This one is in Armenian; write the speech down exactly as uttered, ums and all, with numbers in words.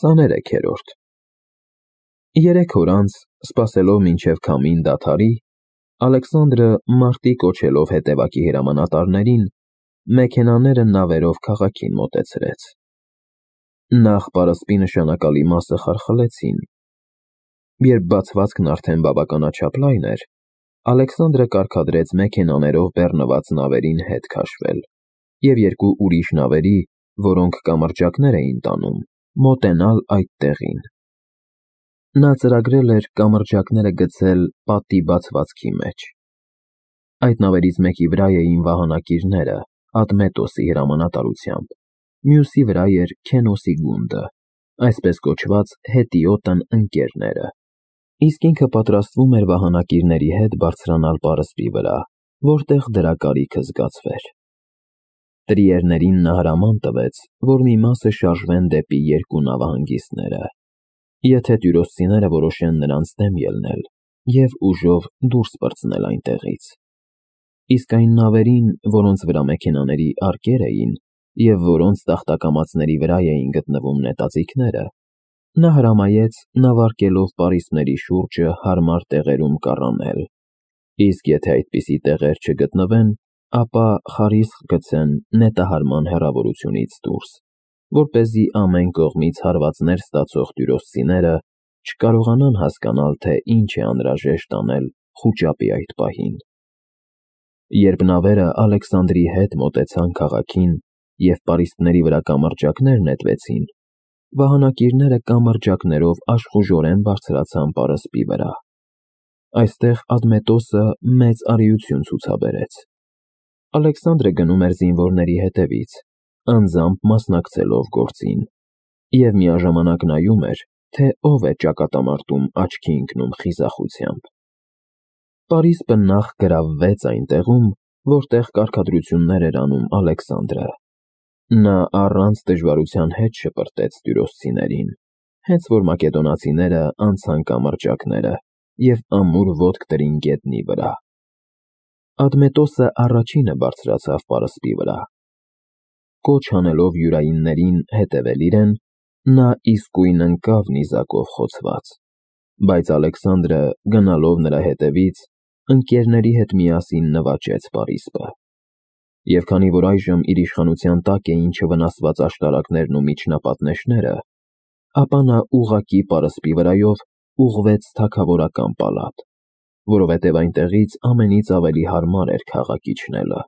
Քսաներեքերորդ Երեք օր անց, սպասելով մինչև քամին դադարի, Ալեքսանդրը մարտի կոչելով հետևակի հրամանատարներին, մեքենաները նավերով քաղաքին մոտեցրեց. Նախ պարսպի նշանակալի մասը խարխլեցին. երբ բացվածքն արդեն բավականաչափ լայն էր, Ալեքսանդրը կարգադրեց մեքենաներով բեռնված նավերին հետ քաշվել և երկու ուրիշ նավերի, որոնք կամրջակներ էին տանում, մոտենալ այդ տեղին. նա ծրագրել էր կամրջակները գցել պատի բացվածքի մեջ. այդ նավերից մեկի վրա էին վահանակիրները Ադմետոսի հրամանատարությամբ, մյուսի վրա էր Քենոսի գունդը, այսպես կոչված հետիոտն ընկերները, իսկ ինքը պատրաստվում էր վահանակիրների հետ բարձրանալ պարսպի վրա, որտեղ դրա կարիքը զգացվեր. Տրիերներին նա հրաման տվեց, որ մի մասը շարժվեն դեպի երկու նավահանգիստները, եթե տյուրոսցիները որոշեն նրանց դեմ ելնել և ուժով դուրս պրծնել այնտեղից, իսկ այն նավերին, որոնց վրա մեքենաների արկեր էին և որոնց տախտակամածների վրա էին գտնվում նետաձիգները, նա հրամայեց նավարկելով պարիսպների շուրջը հարմար տեղերում կառանել, իսկ եթե այդպիսի տեղեր չգտնվեն, ապա խարիսկ գցեն նետահարման հեռավորությունից դուրս, որպեսզի ամեն կողմից հարվածներ ստացող տյուրոսցիները չկարողանան հասկանալ, թե ինչ է անհրաժեշտ անել խուճապի այդ պահին։ Երբ նավերը Ալեքսանդրի հետ մոտեցան քաղաքին և պարիսպների վրա կամրջակներ նետվեցին, վահանակիրները կամրջակներով աշխուժորեն բարձրացան պարսպի վրա. այստեղ Ադմետոսը մեծ արիություն ցուցաբերեց. Ալեքսանդրը գնում էր զինվորների հետևից, անձամբ մասնակցելով գործին, և միաժամանակ նայում էր, թե ով է ճակատամարտում աչքի ընկնում խիզախությամբ։ Պարիսպը նախ գրավվեց այն տեղում, որտեղ կարգադրություններ էր անում Ալեքսանդրը. նա առանց դժվարության հետ շպրտեց տյուրոսցիներին, հենց որ մակեդոնացիները անցան կամրջակները և ամուր ոտք դրին գետնի վրա. Ադմետոսը առաջինը բարձրացավ պարսպի վրա. կոչ անելով յուրայիններին հետևել իրեն, նա իսկույն ընկավ նիզակով խոցված, բայց Ալեքսանդրը, գնալով նրա հետևից, ընկերների հետ միասին նվաճեց պարիսպը, և քանի որ այժմ իր իշխանության տակ էին չվնասված աշտարակներն ու միջնապատնեշները, ապա նա ուղղակի պարսպի վրայով ուղղվեց թագավորական պալատ, որովհետև այնտեղից ամենից ավելի հարմար էր քաղաք իջնելը։